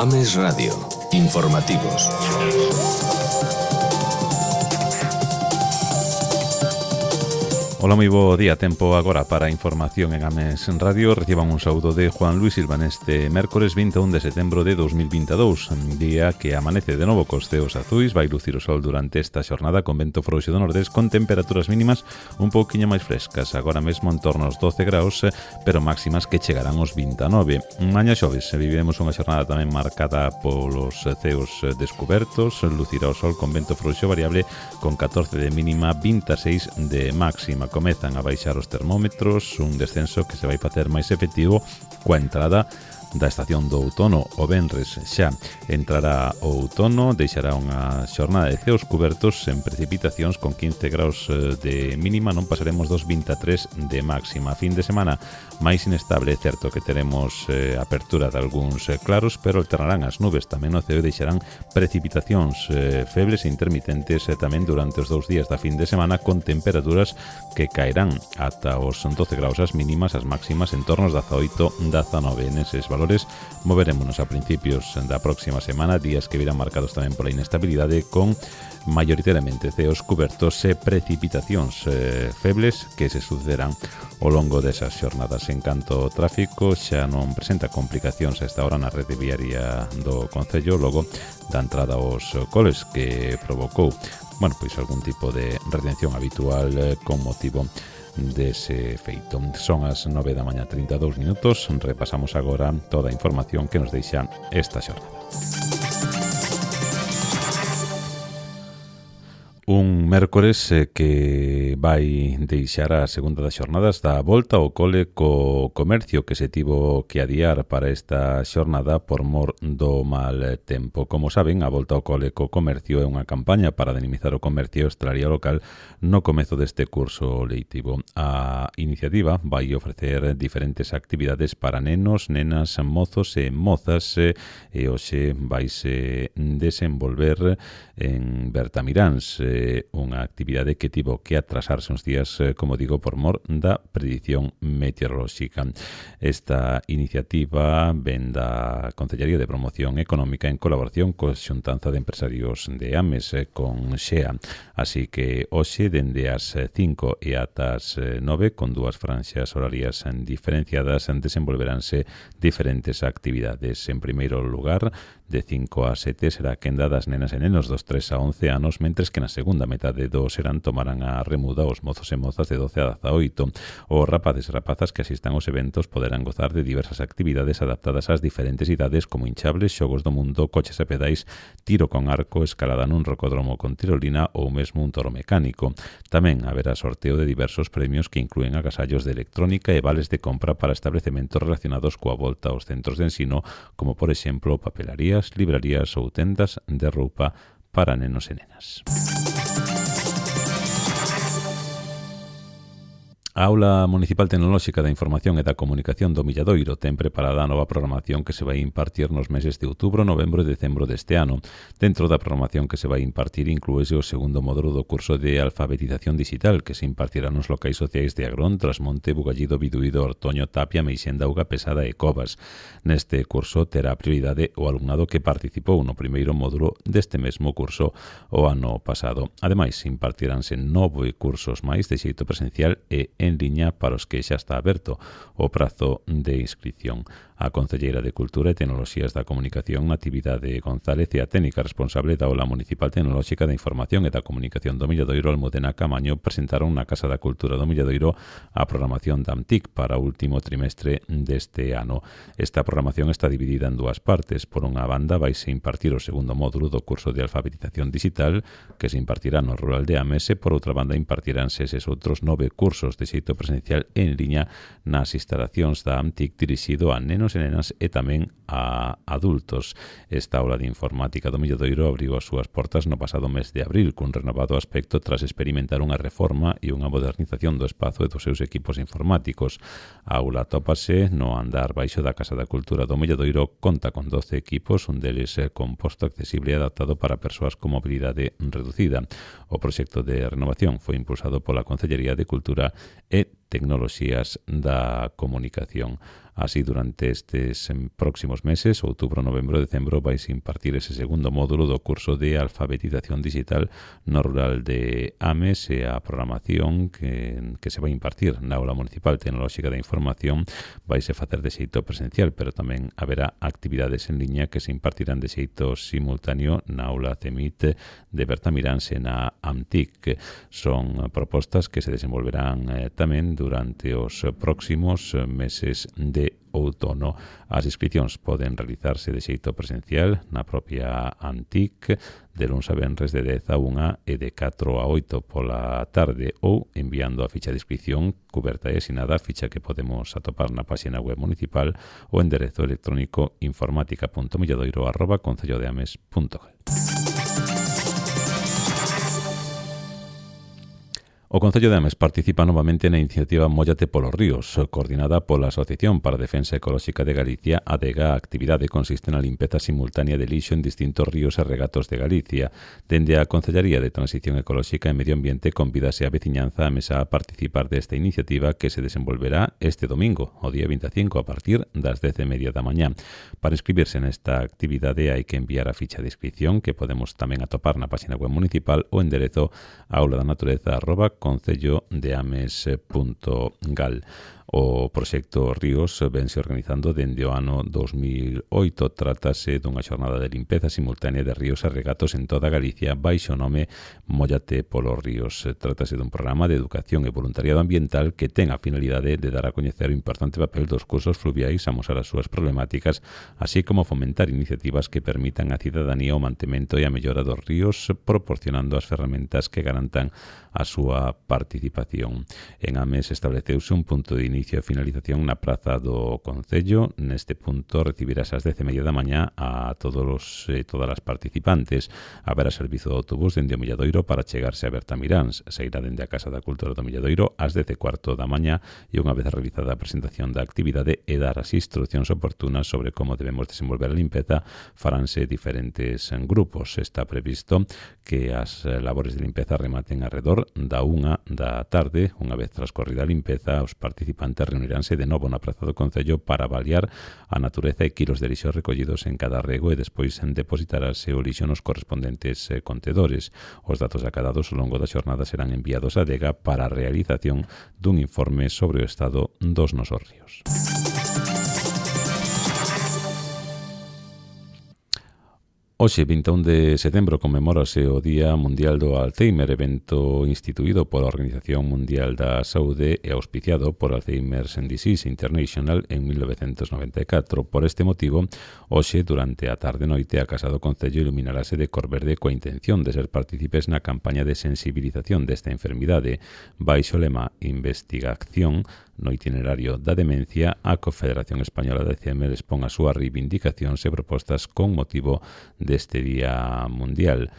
Ames Radio. Informativos. Ola, moi bo día. Tempo agora para a información en Ames Radio. Reciban un saúdo de Juan Luis Silva neste mércores 21 de setembro de 2022, día que amanece de novo cos ceos azuis. Vai lucir o sol durante esta xornada con vento frouxo do nordés, con temperaturas mínimas un pouquiño máis frescas, agora mesmo en torno aos 12 graus, pero máximas que chegarán aos 29. Mañá xoves viviremos unha xornada tamén marcada polos ceos descubertos. Lucirá o sol con vento frouxo variable, con 14 de mínima, 26 de máxima. Comezan a baixar os termómetros, un descenso que se vai facer máis efectivo coa entrada da estación do outono. O venres xa entrará o outono, deixará unha xornada de ceos cubertos en precipitacións con 15 graus de mínima, non pasaremos dos 23 de máxima. Fin de semana máis inestable, é certo que teremos apertura de algúns claros, pero alternarán as nubes tamén no ceo e deixarán precipitacións febles e intermitentes tamén durante os 2 días da fin de semana, con temperaturas que caerán ata os 12 graus as mínimas, as máximas en torno aos 18, 19. Neses valores moverémonos a principios da próxima semana, días que virán marcados tamén pola inestabilidade, con maioritariamente ceos cubertos e precipitacións febles que se sucederán ao longo desas xornadas. En canto ao tráfico, xa non presenta complicacións a esta hora na rede viaria do Concello, logo da entrada aos coles que provocou pois algún tipo de retención habitual con motivo dese feito. Son as 9 da mañá 32 minutos. Repasamos agora toda a información que nos deixa esta xornada. Un mércores que vai deixar a segunda das xornadas da volta ao cole co comercio, que se tivo que adiar para esta xornada por mor do mal tempo. Como saben, a volta ao cole co comercio é unha campaña para dinamizar o comercio e hostalería local no comezo deste curso lectivo. A iniciativa vai ofrecer diferentes actividades para nenos, nenas, mozos e mozas, e hoxe vaise desenvolver en Bertamiráns, unha actividade que tivo que atrasarse uns días, como digo, por mor da predición meteorolóxica. Esta iniciativa ven da Concellaría de Promoción Económica en colaboración coa Xuntanza de Empresarios de Ames, con XEA. Así que hoxe, dende as 5 e ata as 9, con dúas franxas horarias diferenciadas, desenvolveránse diferentes actividades. En primeiro lugar, de 5 a 7 será a quenda das nenas e nenos dos 3 a 11 anos, mentres que na segunda metade do serán tomarán a remuda os mozos e mozas de 12 a 18. Os rapaces e rapazas que asistan aos eventos poderán gozar de diversas actividades adaptadas ás diferentes idades, como hinchables, xogos do mundo, coches e pedais, tiro con arco, escalada nun rocódromo con tirolina ou mesmo un toro mecánico. Tamén haberá sorteo de diversos premios que inclúen agasallos de electrónica e vales de compra para establecementos relacionados coa volta aos centros de ensino, como por exemplo papelarías, librarías ou tendas de roupa para nenos e nenas. A Aula Municipal Tecnolóxica da Información e da Comunicación do Milladoiro ten preparada a nova programación que se vai impartir nos meses de outubro, novembro e decembro deste ano. Dentro da programación que se vai impartir inclúese o segundo módulo do curso de alfabetización digital, que se impartirá nos locais sociais de Agrón, Trasmonte, Bugallido, Biduído, Ortoño, Tapia, Meixenda, Auga Pesada e Covas. Neste curso terá prioridade o alumnado que participou no primeiro módulo deste mesmo curso o ano pasado. Ademais, impartiránse 9 cursos máis de xeito presencial e en liña para os que xa está aberto o prazo de inscripción. A Concelleira de Cultura e Tecnoloxías da Comunicación, Natividade González, e a técnica responsable da Aula Municipal Tecnolóxica da Información e da Comunicación do Milladoiro, Almudena Camaño, presentaron na Casa da Cultura do Milladoiro a programación da AMTIC para o último trimestre deste ano. Esta programación está dividida en dúas partes. Por unha banda, vaise impartir o segundo módulo do curso de alfabetización digital, que se impartirá no rural de Ames, e por outra banda impartiránse eses outros 9 cursos de xeito presencial en liña nas instalacións da AMTIC dirixido a nenos e nenas e tamén a adultos. Esta aula de informática do Milladoiro abriu as súas portas no pasado mes de abril cun renovado aspecto tras experimentar unha reforma e unha modernización do espazo e dos seus equipos informáticos. A aula tópase no andar baixo da Casa da Cultura do Milladoiro, conta con 12 equipos, un deles composto, accesible e adaptado para persoas con mobilidade reducida. O proxecto de renovación foi impulsado pola Concellería de Cultura e tecnoloxías da comunicación. Así, durante estes próximos meses, outubro, novembro e decembro, vais impartir ese segundo módulo do curso de alfabetización digital no rural de Ames, e a programación que se vai impartir na Aula Municipal Tecnolóxica da Información vai se facer de xeito presencial, pero tamén haberá actividades en liña que se impartirán de xeito simultáneo na Aula CEMIT de Bertamiráns e na AMTIC. Son propostas que se desenvolverán tamén durante os próximos meses de outono. As inscripcións poden realizarse de xeito presencial na propia AMTIC de luns a venres de 10 a 1 e de 4 a 8 pola tarde, ou enviando a ficha de inscripción cuberta e asinada, a ficha que podemos atopar na página web municipal, o enderezo electrónico informatica.milladoiro@concellodeames.gal. O Concello de Ames participa novamente na iniciativa Móllate polos ríos, coordinada pola Asociación para a Defensa Ecolóxica de Galicia, ADEGA. A actividade consiste na limpeza simultánea de lixo en distintos ríos e regatos de Galicia. Dende a Concellaría de Transición Ecolóxica e Medio Ambiente convídase a veciñanza a mesa a participar desta iniciativa que se desenvolverá este domingo, o día 25, a partir das 10:30 da mañá. Para inscribirse nesta actividade hai que enviar a ficha de inscripción, que podemos tamén atopar na página web municipal, o enderezo aulaDanatureza@concellodeames.gal. O proxecto Ríos vense organizando dende o ano 2008. Trátase dunha xornada de limpeza simultánea de ríos e regatos en toda Galicia baixo o nome Móllate polos ríos. Trátase dun programa de educación e voluntariado ambiental que ten a finalidade de dar a coñecer o importante papel dos cursos fluviais, amosar as súas problemáticas, así como fomentar iniciativas que permitan á cidadanía o mantemento e a mellora dos ríos, proporcionando as ferramentas que garantan a súa participación. En Ames estableceuse un punto de inicio e finalización na praza do Concello. Neste punto recibirás ás 10:30 da mañá a todas as participantes. Haberá servizo de autobús dende o Milladoiro para chegarse a Bertamiráns. Sairá dende a Casa da Cultura do Milladoiro ás 10:15 da mañá, e unha vez realizada a presentación da actividade e dar as instruccións oportunas sobre como debemos desenvolver a limpeza, faránse diferentes grupos. Está previsto que as labores de limpeza rematen alrededor da 1 da tarde. Unha vez transcorrida a limpeza, os participantes reuniránse de novo na praza do Concello para avaliar a natureza e quilos de lixo recollidos en cada rego, e despois depositarase o lixo nos correspondentes contedores. Os datos acadados ao longo da xornada serán enviados á ADEGA para a realización dun informe sobre o estado dos nosos ríos. Hoxe, 21 de setembro, conmemórase o Día Mundial do Alzheimer, evento instituído pola Organización Mundial da Saúde e auspiciado por Alzheimer's Disease International en 1994. Por este motivo, hoxe, durante a tarde-noite, a Casa do Concello iluminarase de cor verde coa intención de ser partícipes na campaña de sensibilización desta enfermidade. Baixo o lema Investigación no itinerario da demencia, a Confederación Española de Alzheimer expón as súas reivindicacións e propostas con motivo deste Día Mundial.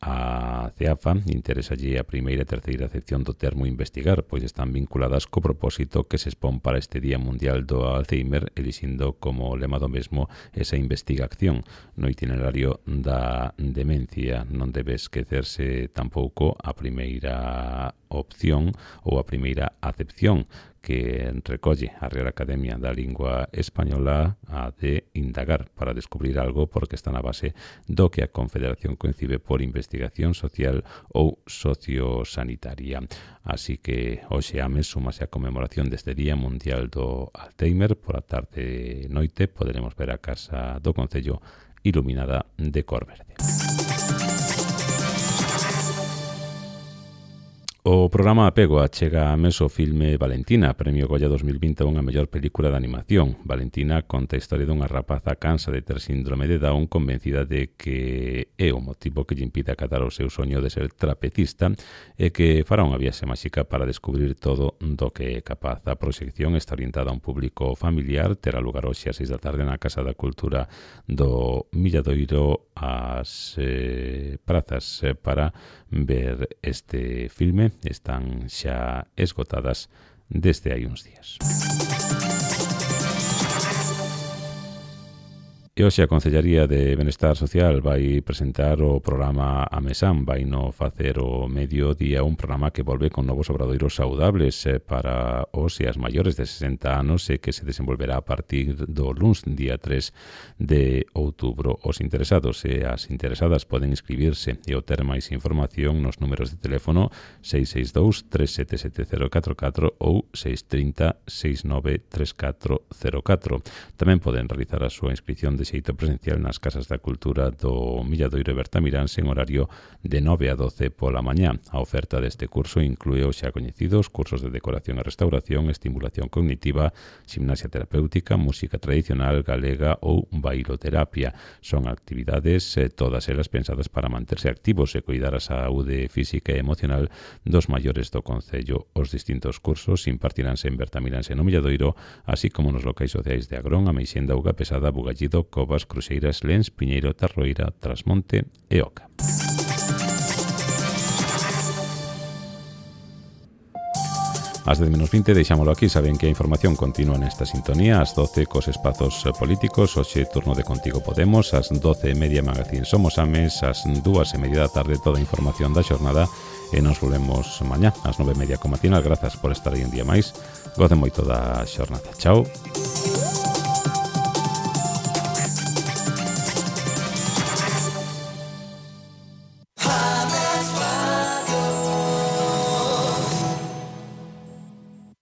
A CEAFA interesalle a primeira e terceira acepción do termo investigar, pois están vinculadas co propósito que se expón para este Día Mundial do Alzheimer, elixindo como lema do mesmo esa investigación. No itinerario da demencia non debe esquecerse tampouco a primeira opción ou a primeira acepción que recolle a Real Academia da Lingua Española, a de indagar para descubrir algo, porque está na base do que a Confederación concibe por investigación social ou sociosanitaria. Así que hoxe Ames súmase a conmemoración deste Día Mundial do Alzheimer. Por a tarde e noite poderemos ver a Casa do Concello iluminada de cor verde. O programa Apego achega a Ames o filme Valentina, Premio Goya 2021 a mellor película de animación. Valentina conta a historia dunha rapaza cansa de ter síndrome de Down, convencida de que é o motivo que lle impide acatar o seu soño de ser trapecista, e que fará unha viaxe máxica para descubrir todo do que é capaz. A proxección está orientada a un público familiar, terá lugar hoxe ás 6 da tarde na Casa da Cultura do Milladoiro. As prazas para ver este filme están xa esgotadas desde hai uns días. E E hoxe a Concellaría de Benestar Social vai presentar o programa AMESAM, vai no facer o mediodía un programa que volve con novos obradoiros saudables para os e as maiores de 60 anos e que se desenvolverá a partir do luns, día 3 de outubro. Os interesados e as interesadas poden inscribirse e obter máis información nos números de teléfono 662 377044 ou 630 693404. Tamén poden realizar a súa inscripción de xeito presencial nas Casas da Cultura do Milladoiro e Bertamiráns en horario de 9 a 12 pola mañá. A oferta deste curso inclúe os xa coñecidos cursos de decoración e restauración, estimulación cognitiva, gimnasia terapéutica, música tradicional galega ou bailoterapia. Son actividades todas elas pensadas para manterse activos e cuidar a saúde física e emocional dos maiores do concello. Os distintos cursos impartiránse en Bertamiráns e no Milladoiro, así como nos locais sociais de Agrón, Ameixenda, Auga Pesada, Bugallido, Covas, Cruxeiras, Lens, Piñeiro, Tarroira, Trasmonte e Oca. Ás 10:20 deixámolo aquí. Saben que a información continúa nesta sintonía ás 12 cos espazos políticos. Hoxe turno de Contigo Podemos, ás 12:30 Magazín Somos Ames, ás 2:30 da tarde toda a información da xornada e nos volvemos mañá ás 9:30 co matinal. Grazas por estar aí un día máis. Gocen moito da xornada. Chao.